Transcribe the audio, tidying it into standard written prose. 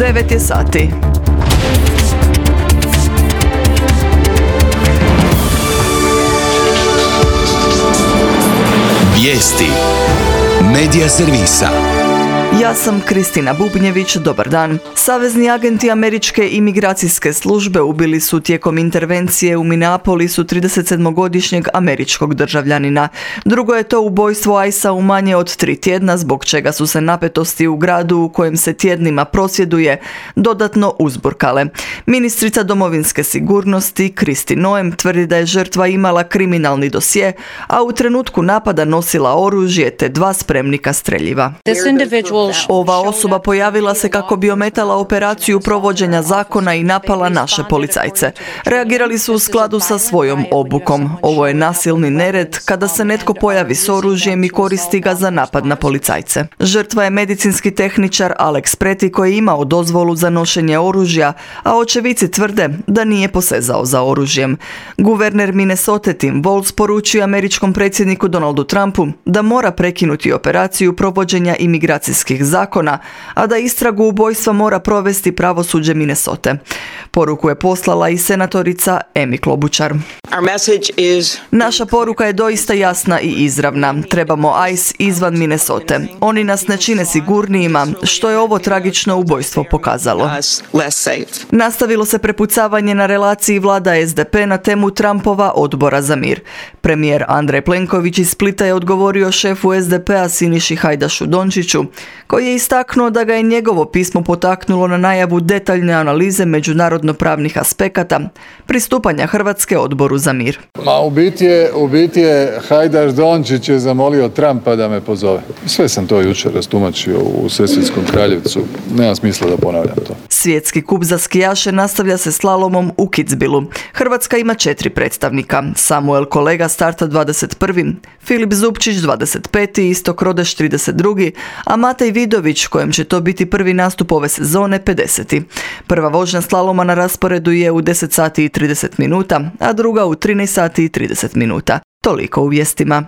9 je sati. Vijesti Medija servisa. Ja sam Kristina Bubnjević, dobar dan. Savezni agenti američke imigracijske službe ubili su tijekom intervencije u Minneapolisu 37-godišnjeg američkog državljanina. Drugo je to ubojstvo ICE-a u manje od 3 tjedna, zbog čega su se napetosti u gradu u kojem se tjednima prosvjeduje dodatno uzburkale. Ministrica domovinske sigurnosti Kristi Noem tvrdi da je žrtva imala kriminalni dosje, a u trenutku napada nosila oružje te 2 spremnika streljiva. Ova osoba pojavila se kako bi ometala operaciju provođenja zakona i napala naše policajce. Reagirali su u skladu sa svojom obukom. Ovo je nasilni nered kada se netko pojavi s oružjem i koristi ga za napad na policajce. Žrtva je medicinski tehničar Alex Preti koji je imao dozvolu za nošenje oružja, a očevici tvrde da nije posezao za oružjem. Guverner Minnesota Tim Walz poručio američkom predsjedniku Donaldu Trumpu da mora prekinuti operaciju provođenja imigracijskih zakona, a da istragu ubojstva mora provesti pravosuđe Minnesote. Poruku je poslala i senatorica Amy Klobuchar. Naša poruka je doista jasna i izravna. Trebamo ICE izvan Minnesote. Oni nas ne čine sigurnijima, što je ovo tragično ubojstvo pokazalo. Nastavilo se prepucavanje na relaciji vlada SDP na temu Trumpova odbora za mir. Premijer Andrej Plenković iz Splita je odgovorio šefu SDP-a Siniši Hajdašu Dončiću, koji je istaknuo da ga je njegovo pismo potaknulo na najavu detaljne analize međunarodno-pravnih aspekata pristupanja Hrvatske odboru za mir. U biti je Hajdaš Dončić je zamolio Trumpa da me pozove. Sve sam to jučer rastumačio u Sesvetskom Kraljevcu. Nema smisla da ponavljam to. Svjetski kup za skijaše nastavlja se slalomom u Kitzbühelu. Hrvatska ima 4 predstavnika. Samuel Kolega starta 21. Filip Zupčić 25. Istok Rodeš 32. a Matej Vidović, kojem će to biti prvi nastup ove sezone, 50. Prva vožnja slaloma na rasporedu je u 10 sati i 30 minuta, a druga u 13 sati i 30 minuta. Toliko u vijestima.